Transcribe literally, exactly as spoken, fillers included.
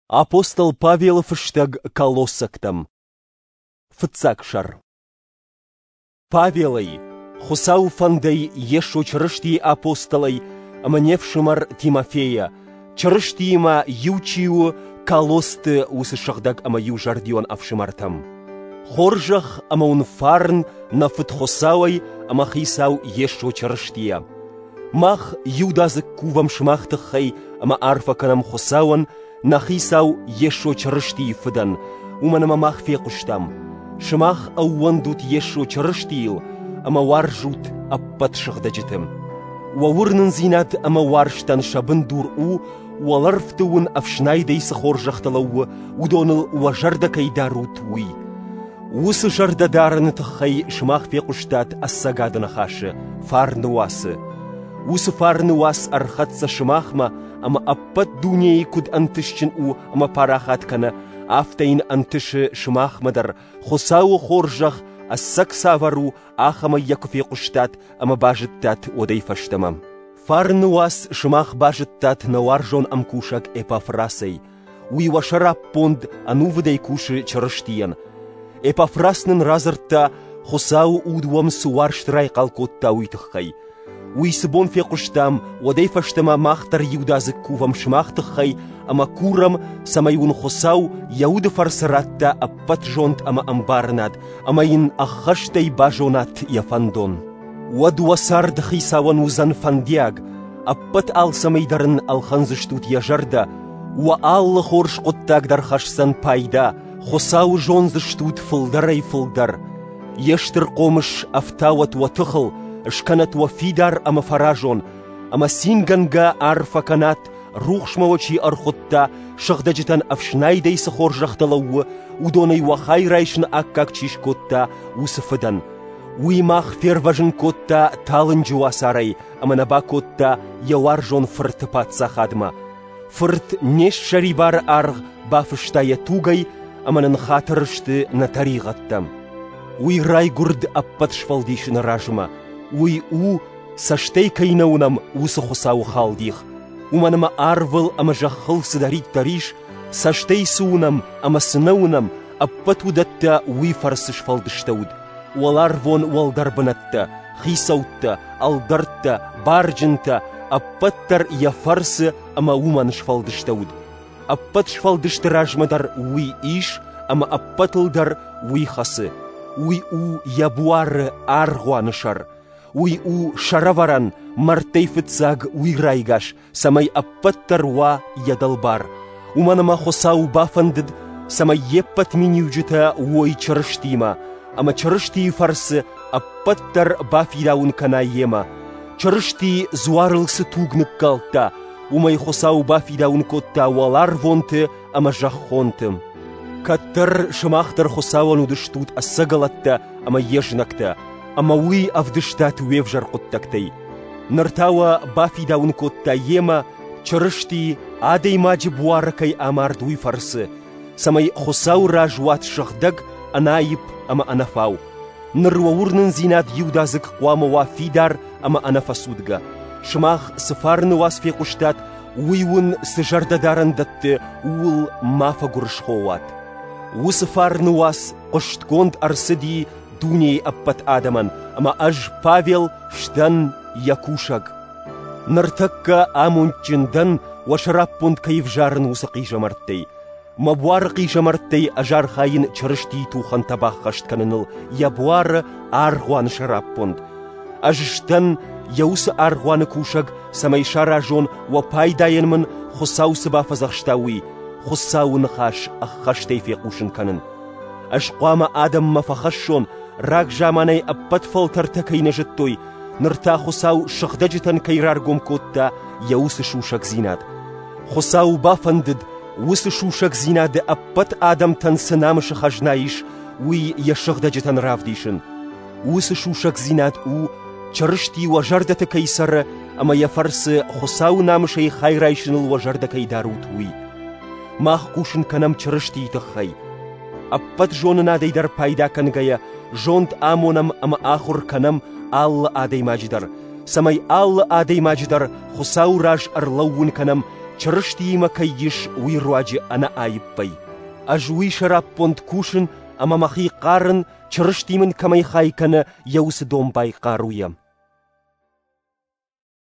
Апостол Павелы фыстӕг Колоссӕгтӕм. Фыццаг сӕр. Павелӕй, Хуыцауы фӕндӕй Йесо Чырыстийы апостолӕй ӕмӕ не фсымӕр Тимофейӕ, Чырыстиимӕ иу чи у, Колоссты уыцы сыгъдӕг ӕмӕ иузӕрдион ӕфсымӕртӕм. Хорзӕх ӕмӕ уын фарн нӕ Фыд Хуыцауӕй ӕмӕ Хицау Йесо Чырыстийӕ. Мах иудадзыг кувӕм сымах тыххӕй ӕмӕ арфӕ кӕнӕм Хуыцауӕн, нӕ Хицау Йесо Чырыстийы Фыдӕн, уымӕн ӕмӕ мах фехъуыстам. Сымах ӕууӕндут Йесо Чырыстийыл ӕмӕ уарзут ӕппӕт сыгъдӕджыты. Уӕ уырнындзинад ӕмӕ уарзтӕн сӕ бындур у, уӕлӕрвты уын ӕфснайдӕй цы хорзӕхтӕ лӕууы, уыдоныл уӕ зӕрдӕ кӕй дарут, уый. Уыцы зӕрдӕ дарыны тыххӕй сымах фехъуыстат ӕцӕгады ныхасы, фарны уацы. Уыцы фарны уац ӕрхӕццӕ сымахмӕ ӕмӕ ӕппӕт дунейы куыд ӕнтысджын у ӕмӕ парахат кӕны, афтӕ йын ӕнтысы сымахмӕ дӕр, Хуыцауы хорзӕх ӕцӕг цавӕр у, ахӕмӕй йӕ куы фехъуыстат ӕмӕ базыдтат уӕдӕй фӕстӕмӕ. Фарны уац сымах базыдтат нӕ уарзон ӕмкусӕг Эпафрасӕй. Уый уӕ сӕраппонд ӕнувыдӕй кусы Чырыстийӕн. Эпафрас нын радзырдта, Хуыцауы уд уӕм цы уарзт райхъал кодта, уый тыххӕй. Уый цы бон фехъуыстам, уӕдӕй фӕстӕмӕ мах дӕр иудадзыг кувӕм сымах тыххӕй ӕмӕ курӕм, цӕмӕй уын Хуыцау йӕ уды фӕрцы радта ӕппӕт зонд ӕмӕ ӕмбарынад, ӕмӕ йын ӕххӕстӕй базонат йӕ фӕндон. Уӕд уӕ цард Хицауӕн уыдзӕн фӕндиаг, ӕппӕт алцӕмӕй дӕр ын ӕлхӕндзыстут йӕ зӕрдӕ, уӕ алы хорз хъуыддаг дӕр хӕсдзӕн пайда, Хуыцауы зондзыстут фылдӕрӕй-фылдӕр. Йе стыр хъомыс ӕфтауӕт уӕ тыхыл, скӕнӕт уӕ фидар ӕмӕ фӕразон, ӕмӕ цингӕнгӕ арфӕ кӕнат, рухсмӕ уӕ чи ӕрхуыдта, сыгъдӕджытӕн ӕфснайдӕй цы хорзӕхтӕ лӕууы, уыдонӕй уӕ хай райсыны аккаг чи скодта, уыцы Фыдӕн. Уый мах фервӕзын кодта талынджы уацарӕй ӕмӕ нӕ бакодта йӕ уарзон Фырты паддзахадмӕ. Фырт не ссӕрибары аргъ бафыста йӕ тугӕй ӕмӕ нын хатыр сты нӕ тӕригъӕдтӕ. Уый райгуырд ӕппӕт сфӕлдисыны размӕ. Уый у, цӕстӕй кӕй нӕ уынӕм, уыцы Хуыцауы халдих. Уымӕн ӕмӕ арвыл ӕмӕ зӕххыл цыдӕриддӕр ис, цӕстӕй цы уынӕм ӕмӕ цы нӕ уынӕм, ӕппӕт уыдӕттӕ уый фӕрцы сфӕлдыстӕуыд. Уӕларвон уӕлдӕр бынӕттӕ, хицӕуттӕ, ӕлдӕрттӕ, барджынтӕ, ӕппӕт дӕр йӕ фӕрцы ӕмӕ уымӕн сфӕлдыстӕуыд. Ӕппӕт сфӕлдысты размӕ дӕр уый ис ӕмӕ ӕппӕтыл дӕр уый хӕцы. Уый у йӕ буары аргъуаны сӕр. Уый у сӕрӕвӕрӕн, мӕрдтӕй фыццаг уый райгас, цӕмӕй ӕппӕт дӕр уа йӕ дӕлбар. Уымӕн ӕмӕ Хуыцау бафӕндыд, цӕмӕй йе ппӕт миниуджытӕ уой Чырыстимӕ, ӕмӕ Чырыстийы фӕрцы ӕппӕт дӕр бафидауын кӕна йемӕ. Чырысти дзуарыл цы туг ныккалдта, уымӕй Хуыцау бафидауын кодта уӕларвонты ӕмӕ зӕххонты. Кӕддӕр сымах дӕр Хуыцауӕн уыдыстут ӕцӕгӕлӕттӕ ӕмӕ йе знӕгтӕ, ӕмӕ уый ӕвдыстат уе взӕр хъуыддӕгтӕй. Ныр та уӕ бафидауын кодта йемӕ, Чырысти адӕймаджы буары кӕй амард, уый фӕрцы, цӕмӕй Хуыцауы раз уат сыгъдӕг, ӕнаипп ӕмӕ ӕнӕфау. Ныр уӕ уырнындзинад иудадзыг хъуамӕ уа фидар ӕмӕ ӕнӕфӕцудгӕ. Сымах цы фарны уац фехъуыстат, уый уын цы зӕрдӕдарӕн дӕтты, ууыл ма фӕгуырысхо уат. Уыцы фарны уац хъуыстгонд ӕрцыди дунейы ӕппӕт адӕмӕн, ӕмӕ ӕз, Павел, сдӕн йӕ кусӕг. Ныртӕккӕ амондджын дӕн, уӕ сӕраппонд кӕй ӕвзарын уыцы хъизӕмӕрттӕй. Мӕ буары хъизӕмӕрттӕй ӕз архайын Чырыстийы тухӕнтӕ баххӕст кӕныныл йӕ буары аргъуаны сӕраппонд. Ӕз сдӕн йӕ уыцы аргъуаны кусӕг, цӕмӕй саразон, уӕ пайдайӕн мын Хуыцау цы бафӕдзӕхста, уый, Хуыцауы ныхас ӕххӕстӕй фехъусын кӕнын. Ӕз хъуамӕ адӕммӕ фӕхӕссон, рагзаманӕй ӕппӕт фӕлтӕртӕ кӕй нӕ зыдтой, ныр та Хуыцау сыгъдӕджытӕн кӕй раргом кодта йӕ уыцы сусӕгдзинад. Хуыцау бафӕндыд, уыцы сусӕгдзинады ӕппӕт адӕмтӕн цы намысы хӕзна ис, уый йӕ сыгъдӕджытӕн равдисын. Уыцы сусӕгдзинад у, Чырысти уӕ зӕрдӕты кӕй цӕры ӕмӕ йӕ фӕрцы Хуыцауы намысӕй хай райсыныл уӕ зӕрдӕ кӕй дарут, уый. Мах хъусын кӕнӕм Чырыстийы тыххӕй. Ӕппӕт зонынадӕй дӕр пайда кӕнгӕйӕ, зонд амонӕм ӕмӕ ахуыр кӕнӕм алы адӕймаджы дӕр, цӕмӕй алы адӕймаджы дӕр Хуыцауы раз ӕрлӕууын кӕнӕм Чырыстиимӕ кӕй ис, уый руаджы ӕнӕаиппӕй. Ӕз уый сӕраппонд кусын ӕмӕ мӕхи хъарын, Чырысти мын кӕмӕй хай кӕны, йӕ уыцы домбай хъаруйӕ.